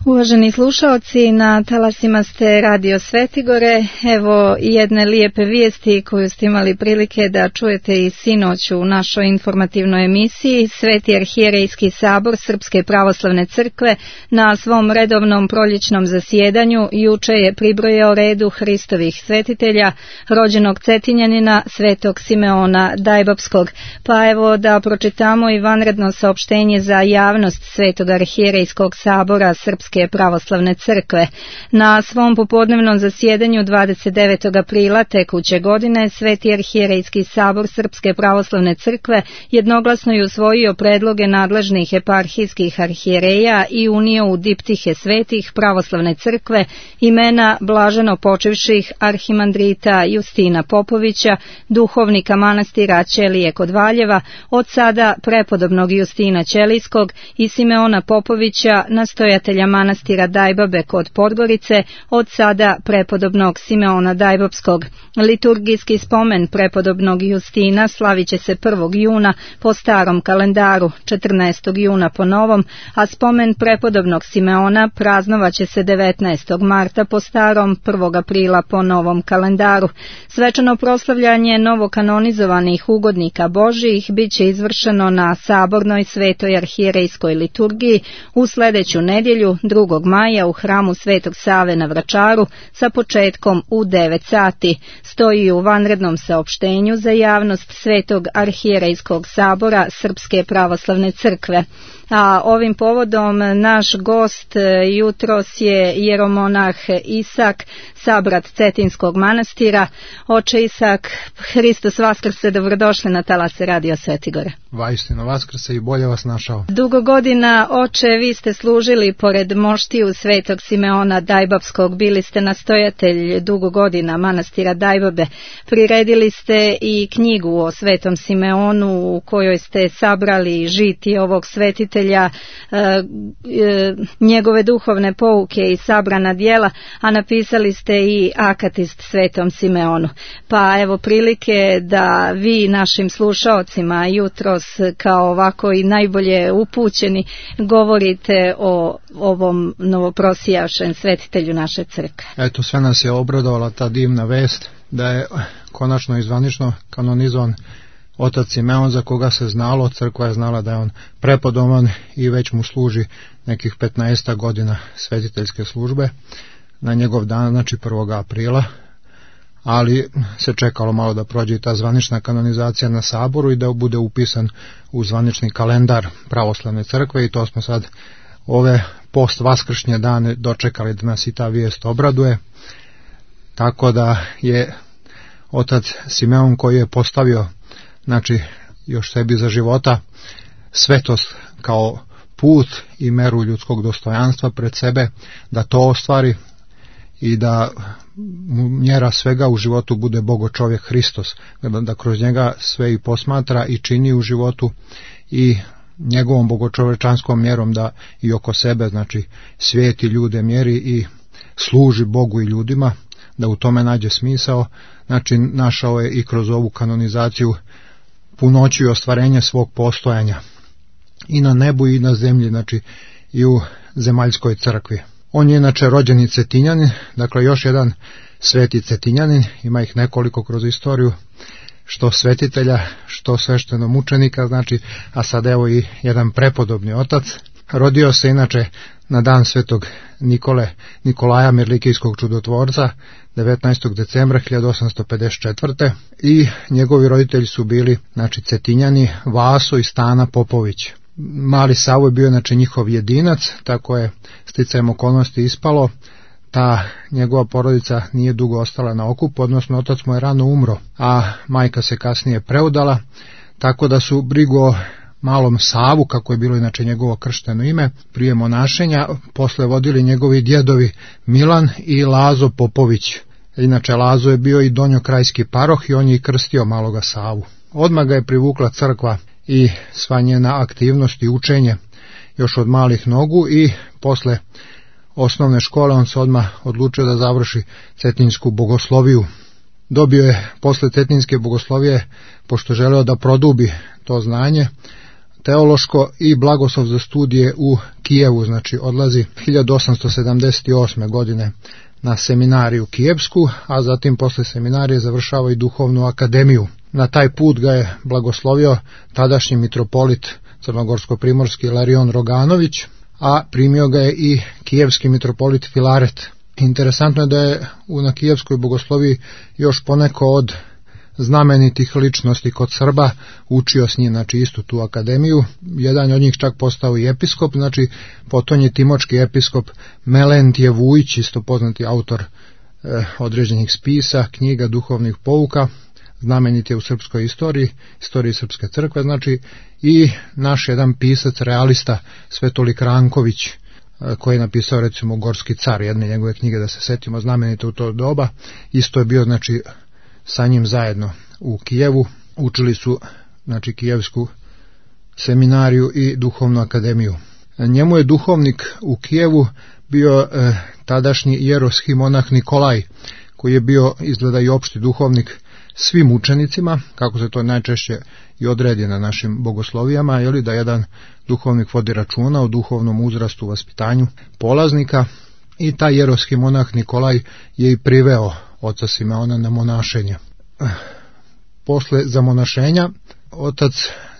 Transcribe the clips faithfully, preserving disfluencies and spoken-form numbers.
Uvaženi slušaoci, na talasima ste Radio Svetigore. Evo jedne lijepe vijesti koju ste imali prilike da čujete i sinoć u našoj informativnoj emisiji. Sveti arhijerejski sabor Srpske pravoslavne crkve na svom redovnom proljećnom zasjedanju juče je pribrojao redu Hristovih svetitelja, rođenog Cetinjanina Svetog Simeona Dajbapskog. Pa evo da pročitamo i vanredno saopštenje za javnost Svetog arhijerejskog sabora Srpske pravoslavne crkve. Na svom popodnevnom zasjedanju dvadeset devetog aprila tekuće godine Sveti arhijerejski sabor Srpske pravoslavne crkve jednoglasno je usvojio predloge nadležnih eparhijskih arhijereja i unio u diptihe svetih pravoslavne crkve imena blaženo počivših arhimandrita Justina Popovića, duhovnika manastira Ćelije kod Valjeva, od sada prepodobnog Justina Ćelijskog i Simeona Popovića, nastojatelja manastira Dajbabe kod Podgorice, od sada prepodobnog Simeona Dajbapskog. Liturgijski spomen prepodobnog Justina slavit će se prvog juna po starom kalendaru, četrnaestog juna po novom, a spomen prepodobnog Simeona praznovaće se devetnaestog marta po starom, prvog aprila po novom kalendaru. Svečano proslavljanje novokanonizovanih ugodnika Božijih bit će izvršeno na sabornoj svetoj arhijerejskoj liturgiji u sljedeću nedjelju, drugog maja, u hramu Svetog Save na Vračaru sa početkom u devet sati. Stoji u vanrednom saopštenju za javnost Svetog arhijerejskog sabora Srpske pravoslavne crkve. A ovim povodom naš gost jutros je jeromonah Isak, sabrat Cetinskog manastira. Oče Isak, Hristos vaskrse, dobrodošli na talase Radio Svetigore. Vaistino vaskrse i bolje vas našao. Dugo godina, oče, vi ste služili pored moštiju Svetog Simeona Dajbapskog, bili ste nastojatelj dugo godina manastira Dajbabe. Priredili ste i knjigu o Svetom Simeonu u kojoj ste sabrali žiti ovog svetitelja, e, e, njegove duhovne pouke i sabrana djela, a napisali ste i akatist Svetom Simeonu. Pa evo prilike da vi našim slušaocima jutros kao ovako i najbolje upućeni govorite o ovom novoprosijavšem svetitelju naše crkve. Eto, sve nas je obradovala ta divna vest da je konačno i zvanično kanonizovan otac Simeon, za koga se znalo, crkva je znala da je on prepodoban i već mu služi nekih petnaest godina svetiteljske službe na njegov dan, znači prvog aprila, ali se čekalo malo da prođe i ta zvanična kanonizacija na saboru i da bude upisan u zvanični kalendar pravoslavne crkve, i to smo sad ove post-vaskršnje dane dočekali da nas i ta vijest obraduje. Tako da je otac Simeon, koji je postavio, znači, još sebi za života svetost kao put i meru ljudskog dostojanstva pred sebe, da to ostvari i da mu mjera svega u životu bude Bogo čovjek Hristos, da, da kroz njega sve i posmatra i čini u životu, i njegovom bogočovečanskom mjerom da i oko sebe, znači, svijeti ljude mjeri i služi Bogu i ljudima, da u tome nađe smisao. Znači, našao je i kroz ovu kanonizaciju punoću i ostvarenje svog postojanja i na nebu i na zemlji, znači i u zemaljskoj crkvi. On je inače rođeni Cetinjanin, dakle još jedan sveti Cetinjanin, ima ih nekoliko kroz istoriju, što svetitelja, što sveštenomučenika, znači, a sad evo i jedan prepodobni otac. Rodio se inače na dan svetog Nikole, Nikolaja Mirlikijskog čudotvorca, devetnaestog decembra hiljadu osamsto pedeset četvrte. i njegovi roditelji su bili, znači, Cetinjani, Vaso i Stana Popović. Mali Savo je bio, znači, njihov jedinac, tako je sticajem okolnosti ispalo. Ta njegova porodica nije dugo ostala na okupu, odnosno otac mu je rano umro, a majka se kasnije preudala, tako da su brigu o malom Savu, kako je bilo inače njegovo kršteno ime, prije monašenja, posle vodili njegovi djedovi Milan i Lazo Popović. Inače, Lazo je bio i donjokrajski paroh i on je i krstio maloga Savu. Odmah ga je privukla crkva i sva njena aktivnost i učenje još od malih nogu, i posle osnovne škole on se odmah odlučio da završi Cetinjsku bogosloviju. Dobio je posle Cetinjske bogoslovije, pošto želeo da produbi to znanje, teološko i blagoslov za studije u Kijevu, znači odlazi hiljadu osamsto sedamdeset osme. godine na seminariju kijevsku, a zatim posle seminarije završava i duhovnu akademiju. Na taj put ga je blagoslovio tadašnji mitropolit crnogorsko-primorski Ilarion Roganović, a primio ga je i kijevski mitropolit Filaret. Interesantno je da je na kijevskoj bogosloviji još poneko od znamenitih ličnosti kod Srba učio s njim, znači istu tu akademiju. Jedan od njih čak postao i episkop, znači potonji timočki episkop Melentije Vujić, isto poznati autor eh, određenih spisa, knjiga, duhovnih pouka, znamenit je u srpskoj istoriji, istoriji Srpske crkve, znači i naš jedan pisac, realista, Svetolik Ranković, koji je napisao recimo Gorski car, jedne njegove knjige, da se setimo, znamenite u to doba, isto je bio znači sa njim zajedno u Kijevu, učili su znači kijevsku seminariju i duhovnu akademiju. Njemu je duhovnik u Kijevu bio eh, tadašnji jeroski monah Nikolaj, koji je bio izgleda i opšti duhovnik svim učenicima, kako se to najčešće i odredi na našim bogoslovijama, je li da jedan duhovnik vodi računa o duhovnom uzrastu, vaspitanju polaznika, i taj jeroski monah Nikolaj je i priveo oca Simeona na monašenje. Posle zamonašenja otac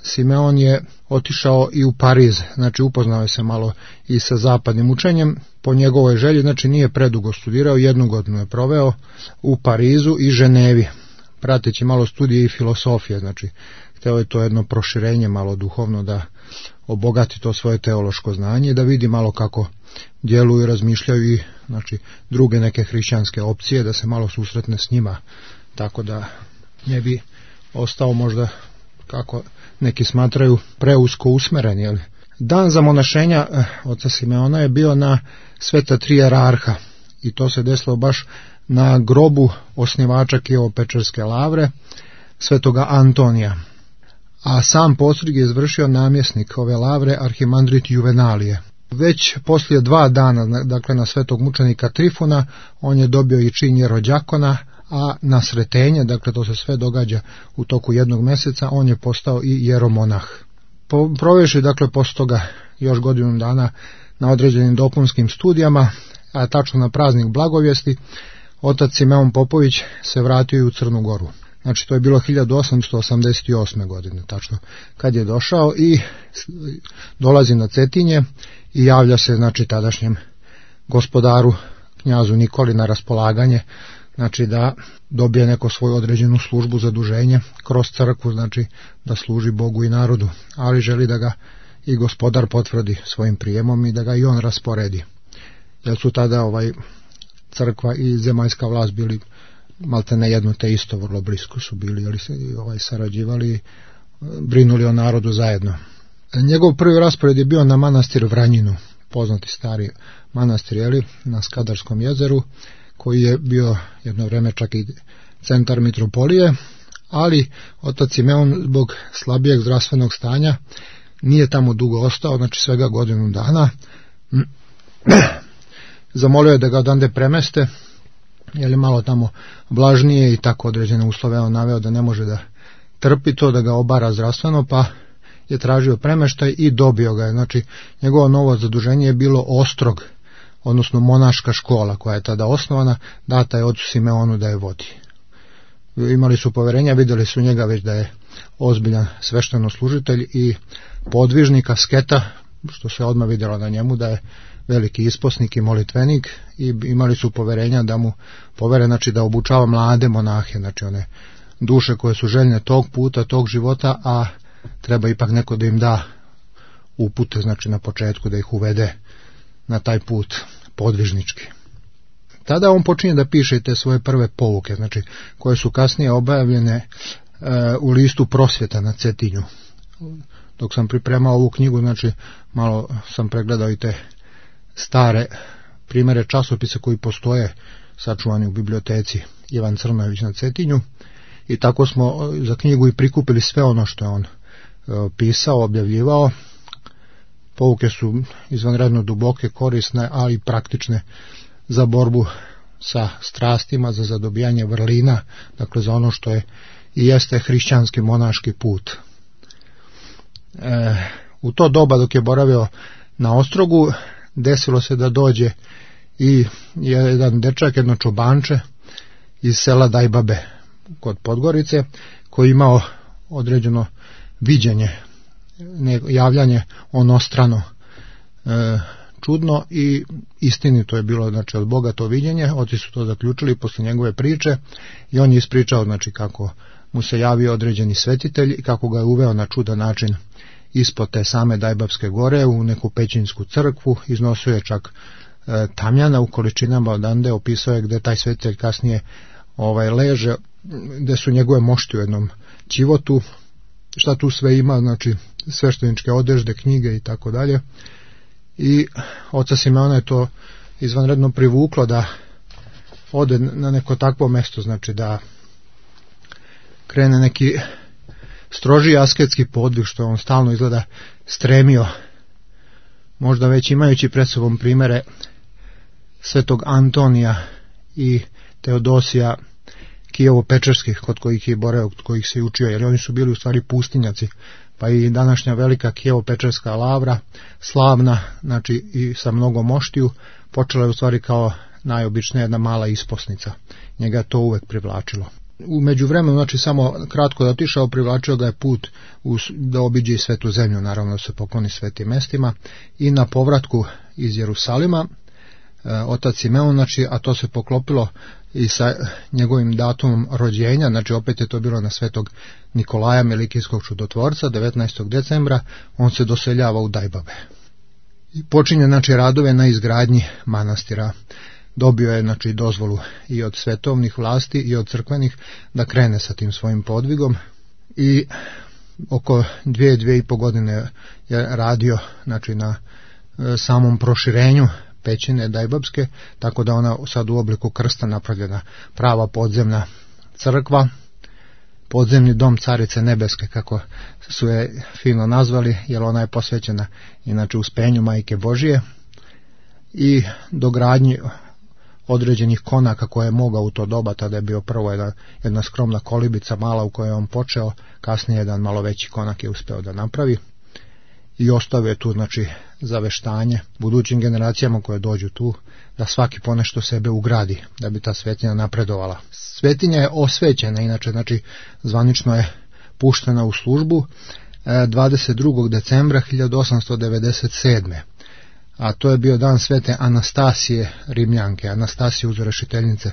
Simeon je otišao i u Pariz, znači upoznao je se malo i sa zapadnim učenjem, po njegovoj želji, znači nije predugo studirao, jednu godinu je proveo u Parizu i Ženevi, prateći malo studije i filosofije, znači hteo je to jedno proširenje malo duhovno, da obogati to svoje teološko znanje i da vidi malo kako djeluju i razmišljaju i znači druge neke hrišćanske opcije, da se malo susretne s njima, tako da ne bi ostao možda, kako neki smatraju, preusko usmeren. Jel? Dan zamonašenja oca Simeona je bio na Sveta tri jerarha i to se desilo baš na grobu osnivača Kijevo-Pečerske lavre, svetoga Antonija. A sam postrig je izvršio namjesnik ove lavre, arhimandrit Juvenalije. Već poslije dva dana, dakle na svetog mučenika Trifona, on je dobio i čin jerođakona, a na Sretenje, dakle to se sve događa u toku jednog mjeseca, on je postao i jeromonah. Provešli dakle posle toga još godinu dana na određenim dopunskim studijama, a tačno na praznik Blagovjesti, otac Simeon Popović se vratio i u Crnu Goru. Znači to je bilo hiljadu osamsto osamdeset osme. godine, tačno kad je došao i dolazi na Cetinje i javlja se znači tadašnjem gospodaru knjazu Nikoli na raspolaganje, znači da dobije neko svoju određenu službu, zaduženje kroz crkvu, znači da služi Bogu i narodu, ali želi da ga i gospodar potvrdi svojim prijemom i da ga i on rasporedi, jer su tada ovaj crkva i zemaljska vlast bili malte ne jedno te isto, vrlo blisko su bili, ali se ovaj sarađivali, brinuli o narodu zajedno. Njegov prvi raspored je bio na manastir Vranjinu, poznati stari manastir, jeli, na Skadarskom jezeru, koji je bio jedno vreme čak i centar mitropolije, ali otac Simeon zbog slabijeg zdravstvenog stanja nije tamo dugo ostao, znači svega godinu dana. Zamolio je da ga odande premeste, jer je malo tamo vlažnije i tako određene uslove on naveo da ne može da trpi to, da ga obara zdravstveno, pa je tražio premeštaj i dobio ga je. Znači njegovo novo zaduženje je bilo Ostrog, odnosno monaška škola koja je tada osnovana, data je ocu Simeonu da je vodi. Imali su poverenja, vidjeli su njega već da je ozbiljan sveštenoslужitelj i podvižnik, asketa, što se odmah vidjelo na njemu da je veliki isposnik i molitvenik, i imali su poverenja da mu povere, znači da obučava mlade monahe, znači one duše koje su željne tog puta, tog života, a treba ipak neko da im da upute, znači na početku da ih uvede na taj put podvižnički. Tada on počinje da piše te svoje prve pouke, znači koje su kasnije objavljene e, u listu Prosvjeta na Cetinju. Dok sam pripremao ovu knjigu, znači malo sam pregledao i te stare primere časopisa koji postoje sačuvani u biblioteci Ivan Crnojević na Cetinju, i tako smo za knjigu i prikupili sve ono što je on e, pisao, objavljivao. Pouke su izvanredno duboke, korisne, ali i praktične za borbu sa strastima, za zadobijanje vrlina, dakle za ono što je i jeste hrišćanski monaški put. E, u to doba dok je boravio na Ostrogu, desilo se da dođe i jedan dečak, jedno čobanče iz sela Dajbabe kod Podgorice, koji imao određeno viđenje, javljanje onostrano, e, čudno i istinito je bilo, znači, od Boga to viđenje. Oci su to zaključili posle njegove priče i on je ispričao, znači, kako mu se javio određeni svetitelj i kako ga je uveo na čudan način ispod te same Dajbabske gore u neku pećinsku crkvu, iznosio je čak e, tamjana u količinama odande, opisao je gde taj svetitelj kasnije ovaj leže, gde su njegove mošti u jednom ćivotu, šta tu sve ima, znači svešteničke odežde, knjige i tako dalje. I oca Simeona je to izvanredno privuklo da ode na neko takvo mesto, znači da krene neki stroži asketski podvig, što on stalno izgleda stremio, možda već imajući pred sobom primere svetog Antonija i Teodosija Kijevo-Pečerskih, kod kojih je boravio, kod kojih se učio, jer oni su bili u stvari pustinjaci, pa i današnja velika Kijevo-Pečerska lavra, slavna, znači i sa mnogo moštiju, počela je u stvari kao najobičnija jedna mala isposnica. Njega to uvek privlačilo. U međuvremenu, znači samo kratko da otišao, privlačio ga je put u, da obiđe i svetu zemlju, naravno da se pokloni svetim mestima, i na povratku iz Jerusalima e, otac Simeon, znači, a to se poklopilo i sa njegovim datumom rođenja, znači opet je to bilo na svetog Nikolaja Melikijskog čudotvorca, devetnaestog decembra, on se doseljava u Dajbabe. I počinje, znači, radove na izgradnji manastira. Dobio je, znači, dozvolu i od svetovnih vlasti i od crkvenih da krene sa tim svojim podvigom i oko dvije, dvije i po godine je radio, znači, na e, samom proširenju pećine Dajbabske, tako da ona sad u obliku krsta napravljena prava podzemna crkva, podzemni dom Carice Nebeske, kako su je fino nazvali, jer ona je posvećena inače uspenju Majke Božije i dogradnji određenih konaka koje je mogao u to doba. Tada je bio prvo jedna, jedna skromna kolibica mala u kojoj je on počeo, kasnije jedan malo veći konak je uspeo da napravi i ostavio je tu, znači, zaveštanje budućim generacijama koje dođu tu, da svaki ponešto sebe ugradi da bi ta svetinja napredovala. Svetinja je osvećena, inače, znači, zvanično je puštena u službu dvadeset drugog decembra hiljadu osamsto devedeset sedme. A to je bio dan svete Anastasije Rimljanke, Anastasije uzrešiteljice.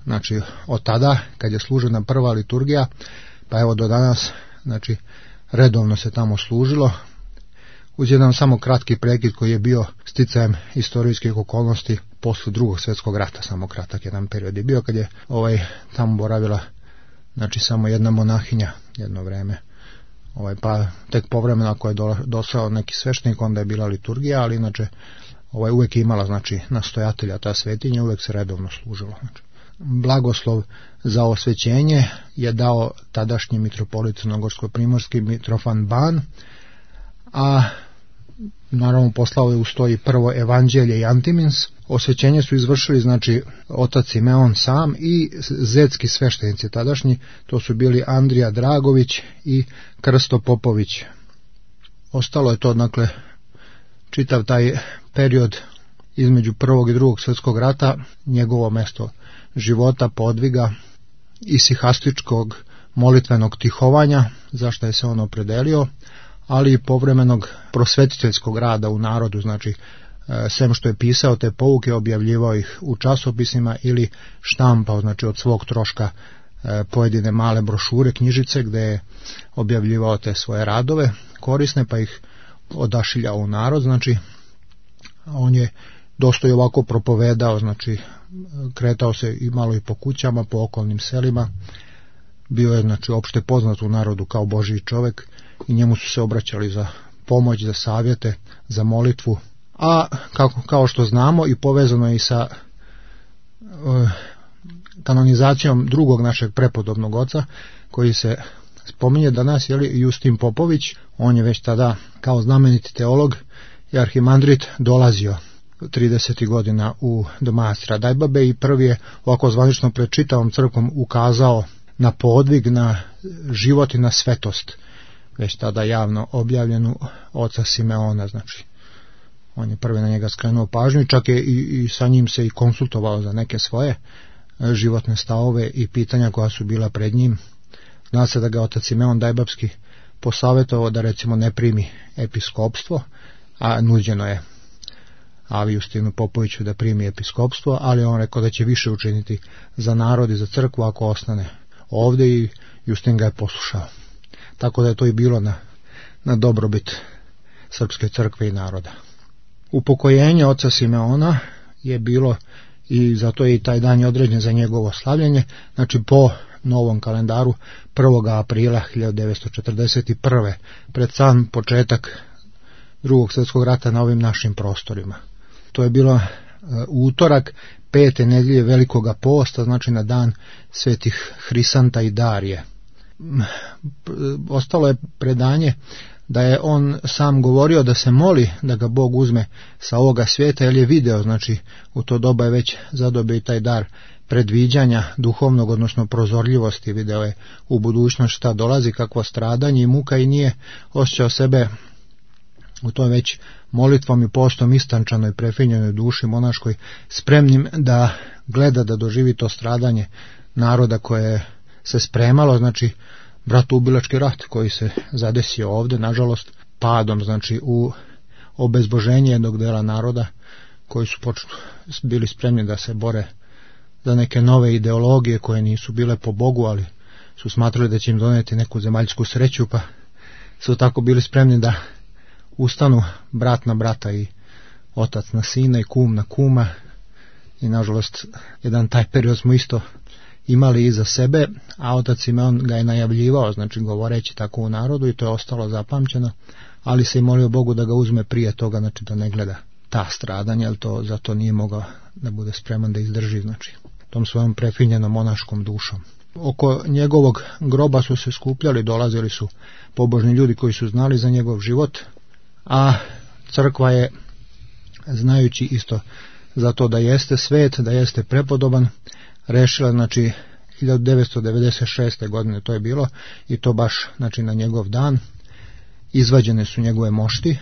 Znači, od tada, kad je služena prva liturgija, pa evo do danas, znači, redovno se tamo služilo, uz jedan samo kratki prekid koji je bio sticajem istorijskih okolnosti posle drugog svjetskog rata, samo kratak jedan period je bio kad je ovaj tamo boravila, znači, samo jedna monahinja jedno vreme. Ovaj, pa tek povremeno ako je došao neki sveštenik, onda je bila liturgija, ali inače ovaj, uvek je imala, znači, nastojatelja ta svetinja, uvek se redovno služilo. Znači, blagoslov za osvećenje je dao tadašnji mitropolit crnogorsko-primorski Mitrofan Ban, a naravno poslao je uz to i prvo evanđelje i Antimins. Osvećenje su izvršili, znači, otac Simeon sam i zetski sveštenici tadašnji, to su bili Andrija Dragović i Krsto Popović. Ostalo je to, dakle, čitav taj period između prvog i drugog svjetskog rata, njegovo mesto života, podviga, isihastičkog molitvenog tihovanja, zašto je se on opredelio, ali i povremenog prosvetiteljskog rada u narodu, znači, sem što je pisao te pouke, objavljivao ih u časopisima ili štampao, znači, od svog troška pojedine male brošure, knjižice, gde je objavljivao te svoje radove korisne, pa ih odašiljao u narod. Znači, on je dosta i ovako propovedao, znači, kretao se i malo i po kućama, po okolnim selima, bio je, znači, opšte poznat u narodu kao Božji čovek i njemu su se obraćali za pomoć, za savjete, za molitvu. A kako, kao što znamo, i povezano je i sa uh, kanonizacijom drugog našeg prepodobnog oca, koji se spominje danas, jeli, Justin Popović. On je već tada kao znameniti teolog i arhimandrit dolazio tridesetih godina u do manastira Dajbabe i prvi je ovako zvanično pred čitavom crkvom ukazao na podvig, na život i na svetost već tada javno objavljenu oca Simeona, znači on je prvi na njega skrenuo pažnju, čak je i, i sa njim se i konsultovao za neke svoje životne stavove i pitanja koja su bila pred njim. Zna se da ga otac Simeon Dajbapski posavjetovao da recimo ne primi episkopstvo, a nuđeno je Avi Justinu Popoviću da primi episkopstvo, ali on rekao da će više učiniti za narod i za crkvu ako ostane ovdje, i Justin ga je poslušao. Tako da je to i bilo na, na dobrobit srpske crkve i naroda. Upokojenje oca Simeona je bilo, i zato je i taj dan je određen za njegovo slavljenje, znači po novom kalendaru prvog aprila hiljadu devetsto četrdeset prve, pred sam početak Drugog svjetskog rata na ovim našim prostorima. To je bilo uh, utorak pete nedjelje Velikoga posta, znači na dan svetih Hrisanta i Darije. Ostalo je predanje da je on sam govorio da se moli da ga Bog uzme sa ovoga svijeta, jer je video, znači u to doba je već zadobio i taj dar predviđanja duhovnog, odnosno prozorljivosti, video je u budućnost šta dolazi, kakvo stradanje i muka, i nije osjećao sebe u toj već molitvom i postom istančanoj, prefinjenoj duši monaškoj spremnim da gleda, da doživi to stradanje naroda koje se spremalo, znači bratoubilački rat koji se zadesio ovdje, nažalost, padom, znači u obezboženje jednog dela naroda koji su počeli, bili spremni da se bore za neke nove ideologije koje nisu bile po Bogu, ali su smatrali da će im doneti neku zemaljsku sreću, pa su tako bili spremni da ustanu brat na brata i otac na sina i kum na kuma, i nažalost jedan taj period smo isto imali iza sebe, a otac Simeon ga je najavljivao, znači govoreći tako u narodu, i to je ostalo zapamćeno, ali se i molio Bogu da ga uzme prije toga, znači da ne gleda ta stradanja, jer to zato nije mogao da bude spreman da izdrži, znači tom svojom prefinjenom monaškom dušom. Oko njegovog groba su se skupljali, dolazili su pobožni ljudi koji su znali za njegov život, a crkva je, znajući isto za to da jeste svet, da jeste prepodoban, rešila, znači hiljadu devetsto devedeset šeste godine to je bilo, i to baš, znači na njegov dan izvađene su njegove mošti,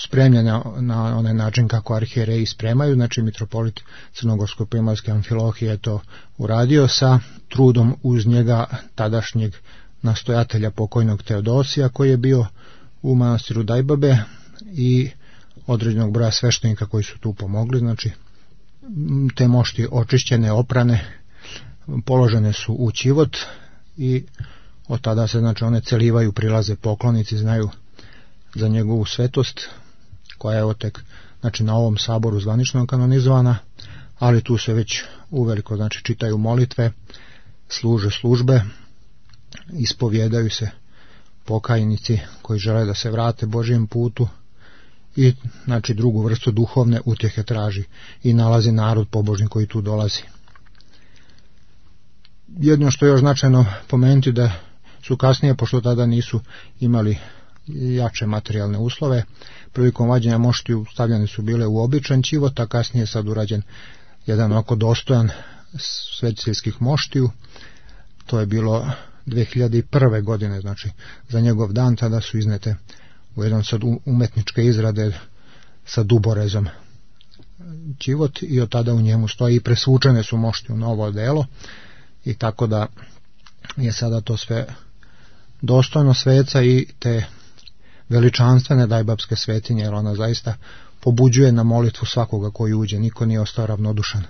spremljene na onaj način kako arhijereji spremaju, znači mitropolit Crnogorsko-Primorske Amfilohije je to uradio sa trudom uz njega tadašnjeg nastojatelja pokojnog Teodosija, koji je bio u manastiru Dajbabe, i određenog broja sveštenika koji su tu pomogli, znači te mošti očišćene, oprane, položene su u ćivot, i od tada se, znači, one celivaju, prilaze poklonici, znaju za njegovu svetost, koja je otek, znači, na ovom saboru zvanično kanonizovana, ali tu se već uveliko, znači, čitaju molitve, služe službe, ispovjedaju se pokajnici koji žele da se vrate Božjem putu, i, znači, drugu vrstu duhovne utjehe traži i nalazi narod pobožni koji tu dolazi. Jedno što je još značajno pomenuti, da su kasnije, pošto tada nisu imali jače materijalne uslove, prilikom vađenja moštiju stavljane su bile u običan ćivot, a kasnije sad urađen jedan oko dostojan svetiljskih moštiju. To je bilo dve hiljade prve godine, znači za njegov dan, tada su iznete u jedan sad umetničke izrade sa duborezom ćivot, i od tada u njemu stoji i presvučene su mošti u novo delo, i tako da je sada to sve dostojno sveca i te veličanstvene Dajbapske svetinje, jer ona zaista pobuđuje na molitvu svakoga koji uđe. Niko nije ostao ravnodušan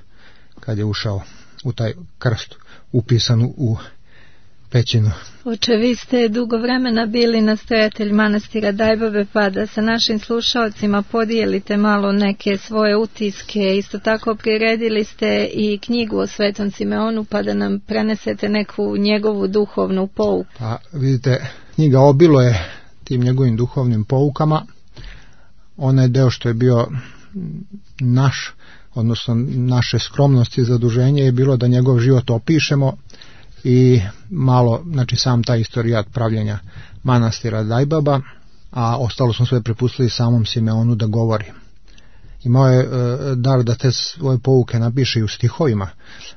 kad je ušao u taj krst upisan u pećinu. Oče, vi ste dugo vremena bili nastojatelj manastira Dajbabe, pa da sa našim slušalcima podijelite malo neke svoje utiske. Isto tako priredili ste i knjigu o Svetom Simeonu, pa da nam prenesete neku njegovu duhovnu pouku. Pa vidite, knjiga obilo je tim njegovim duhovnim poukama. Onaj deo što je bio naš, odnosno naše skromnosti i zaduženje, je bilo da njegov život opišemo i malo, znači sam taj istorijat pravljenja manastira Dajbaba, a ostalo smo sve prepustili samom Simeonu da govori. Imao je e, dar da te svoje pouke napiše i u stihovima,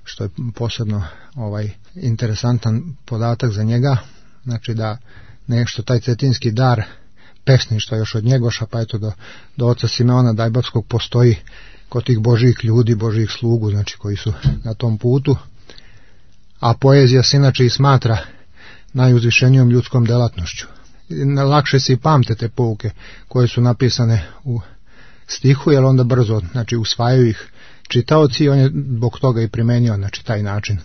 što je posebno ovaj interesantan podatak za njega, znači da nešto taj cetinski dar pesništva još od Njegoša, pa eto do, do oca Simeona Dajbavskog postoji kod tih božjih ljudi, božjih slugu, znači koji su na tom putu, a poezija se inače i smatra najuzvišenijom ljudskom delatnošću. Lakše se i pamte te pouke koje su napisane u stihu, jer onda brzo, znači, usvajaju ih čitaoci i on je zbog toga i primenio, znači, taj način.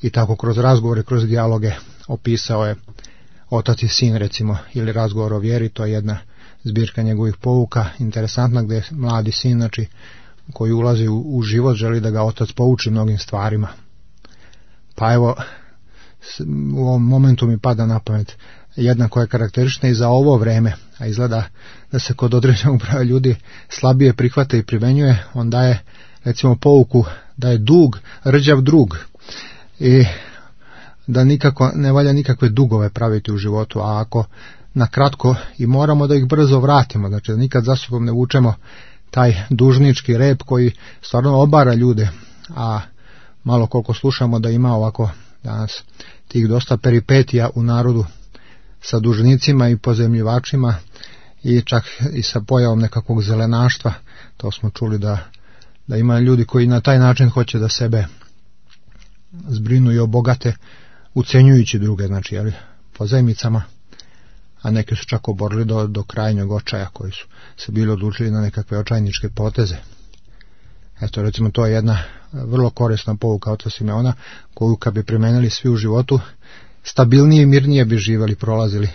I tako kroz razgovore, kroz dijaloge opisao je Otac i sin, recimo, ili Razgovor o vjeri, to je jedna zbirka njegovih pouka, interesantna, gdje mladi sin, znači, koji ulazi u, u život, želi da ga otac pouči mnogim stvarima. Pa evo, u ovom momentu mi pada na pamet jedna koja je karakteristična i za ovo vreme, a izgleda da se kod određenog broja ljudi slabije prihvata i primenjuje. On daje, recimo, pouku da je dug rđav drug i da nikako ne valja nikakve dugove praviti u životu, a ako na kratko i moramo da ih brzo vratimo, znači da nikad za sobom ne vučemo taj dužnički rep koji stvarno obara ljude, a malo koliko slušamo da ima ovako danas tih dosta peripetija u narodu sa dužnicima i pozemljivačima i čak i sa pojavom nekakvog zelenaštva. To smo čuli da, da ima ljudi koji na taj način hoće da sebe zbrinu i obogate, ucenjujući druge, znači, jeli, pozajmicama, a neki su čak oborili do, do krajnjeg očaja, koji su se bili odlučili na nekakve očajničke poteze. Eto, recimo, to je jedna vrlo korisna pouka oca Simeona, koju kad bi primenili svi u životu, stabilnije i mirnije bi živjeli, prolazili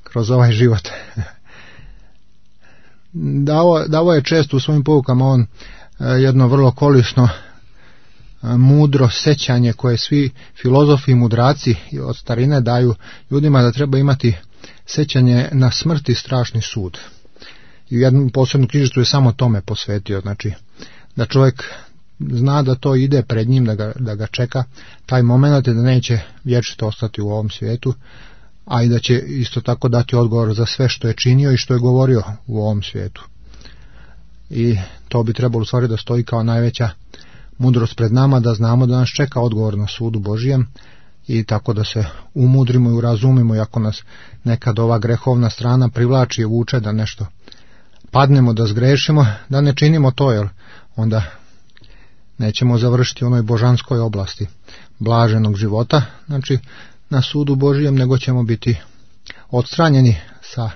kroz ovaj život. Davo, davo je često u svojim poukama on jedno vrlo korisno, mudro sećanje koje svi filozofi i mudraci od starine daju ljudima, da treba imati sećanje na smrt i strašni sud. I u jednu posebnu knjižicu je samo tome posvetio, znači da čovjek zna da to ide pred njim, da ga, da ga čeka taj moment i da neće vječito ostati u ovom svijetu, a i da će isto tako dati odgovor za sve što je činio i što je govorio u ovom svijetu. I to bi trebalo u stvari da stoji kao najveća mudrost pred nama, da znamo da nas čeka odgovor na sudu Božijem i tako da se umudrimo i urazumimo, i ako nas nekad ova grehovna strana privlači i vuče da nešto padnemo, da zgrešimo, da ne činimo to, jer onda nećemo završiti u onoj božanskoj oblasti blaženog života, znači na sudu Božijem, nego ćemo biti odstranjeni sa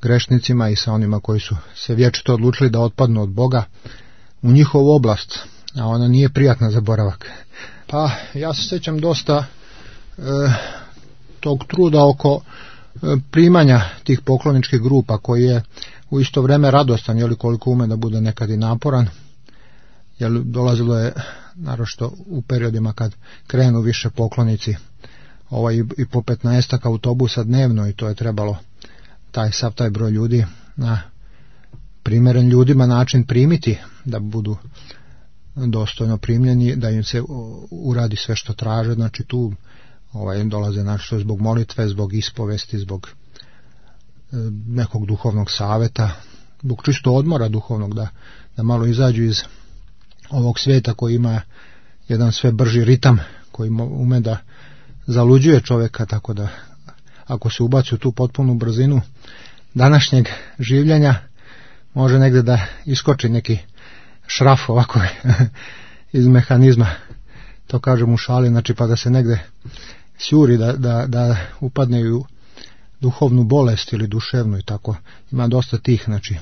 grešnicima i sa onima koji su se vječito odlučili da otpadnu od Boga u njihovu oblast, a ona nije prijatna za boravak. Pa ja se sjećam dosta e, tog truda oko e, primanja tih pokloničkih grupa, koji je u isto vrijeme radostan, jeli, koliko ume da bude nekad i naporan, jer dolazilo je naročito u periodima kad krenu više poklonici, ovaj, i po petnaestak autobusa dnevno, i to je trebalo taj sav taj broj ljudi na primjeren ljudima način primiti, da budu dostojno primljeni, da im se uradi sve što traže. Znači tu ovaj, dolaze našto zbog molitve, zbog ispovesti, zbog e, nekog duhovnog savjeta, zbog čisto odmora duhovnog, da, da malo izađu iz ovog svijeta koji ima jedan sve brži ritam, koji ume da zaluđuje čovjeka, tako da ako se ubaci u tu potpunu brzinu današnjeg življenja, može negdje da iskoči neki šraf ovako iz mehanizma, to kažem u šali, znači, pa da se negdje sjuri, da, da, da upadne u duhovnu bolest ili duševnu, i tako. Ima dosta tih, znači,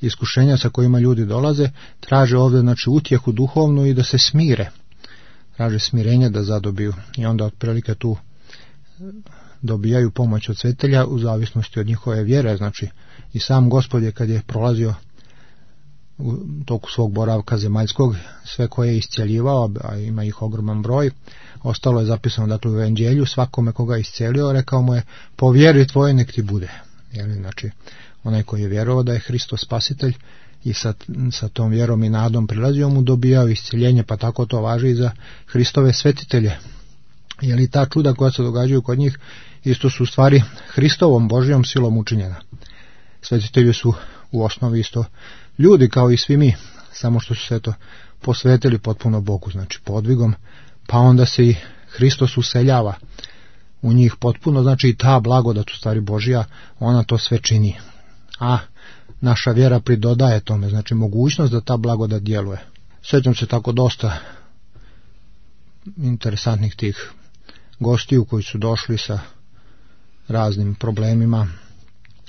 iskušenja sa kojima ljudi dolaze, traže ovdje, znači, utjehu duhovnu i da se smire, traže smirenje da zadobiju, i onda otprilike tu dobijaju pomoć od svetelja u zavisnosti od njihove vjere. Znači i sam Gospod je, kad je prolazio u toku svog boravka zemaljskog, sve koje je iscijeljivao, a ima ih ogroman broj, ostalo je zapisano, dakle, u evanđelju, svakome koga je iscijelio, rekao mu je, po vjeri tvojoj nek ti bude. Jeli, znači onaj koji je vjerovao da je Hristos spasitelj i sa, sa tom vjerom i nadom prilazio mu, dobijao iscijeljenje, pa tako to važi i za Hristove svetitelje. Jeli, ta čuda koja se događaju kod njih isto su u stvari Hristovom Božjom silom učinjena. Svetitelji su u osnovi isto ljudi kao i svi mi, samo što su se to posvetili potpuno Bogu, znači podvigom, pa onda se i Hristos useljava u njih potpuno, znači i ta blagodat u stvari Božja, ona to sve čini. A naša vjera pridodaje tome, znači mogućnost da ta blagodat djeluje. Sjećam se tako dosta interesantnih tih gostiju koji su došli sa raznim problemima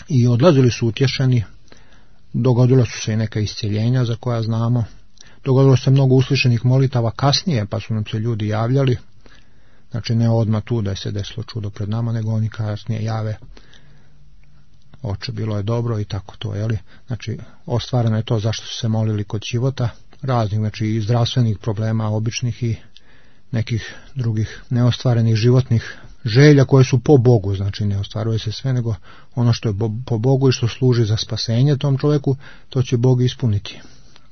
i odlazili su utješeni. Dogodilo su se i neka iscjeljenja za koja znamo. Dogodilo se mnogo uslišenih molitava kasnije, pa su nam se ljudi javljali. Znači ne odmah tu da je se desilo čudo pred nama, nego oni kasnije jave: oče, bilo je dobro i tako to, jeli? Znači ostvareno je to zašto su se molili kod života, raznih, znači i zdravstvenih problema, običnih i nekih drugih neostvarenih životnih želja koje su po Bogu, znači ne ostvaruje se sve, nego ono što je po Bogu i što služi za spasenje tom čovjeku, to će Bog ispuniti.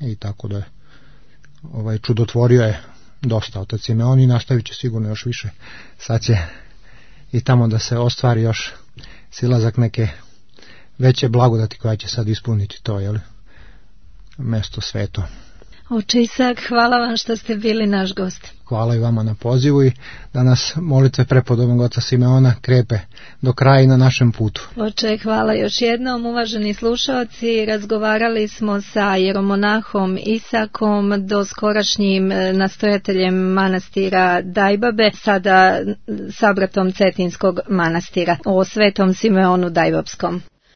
I tako da je ovaj čudotvorio je dosta otac Simeon i nastavit će sigurno još više. Sad će i tamo da se ostvari još silazak neke veće blagodati koja će sad ispuniti to, jel? Mesto sveto. Oče Isak, hvala vam što ste bili naš gost. Hvala i vama na pozivu i da nas molitve prepodobnog oca Simeona krepe do kraja na našem putu. Oče, hvala još jednom, uvaženi slušalci. Razgovarali smo sa jeromonahom Isakom, doskorašnjim nastojateljem manastira Dajbabe, sada sabratom Cetinskog manastira, o svetom Simeonu Dajbapskom.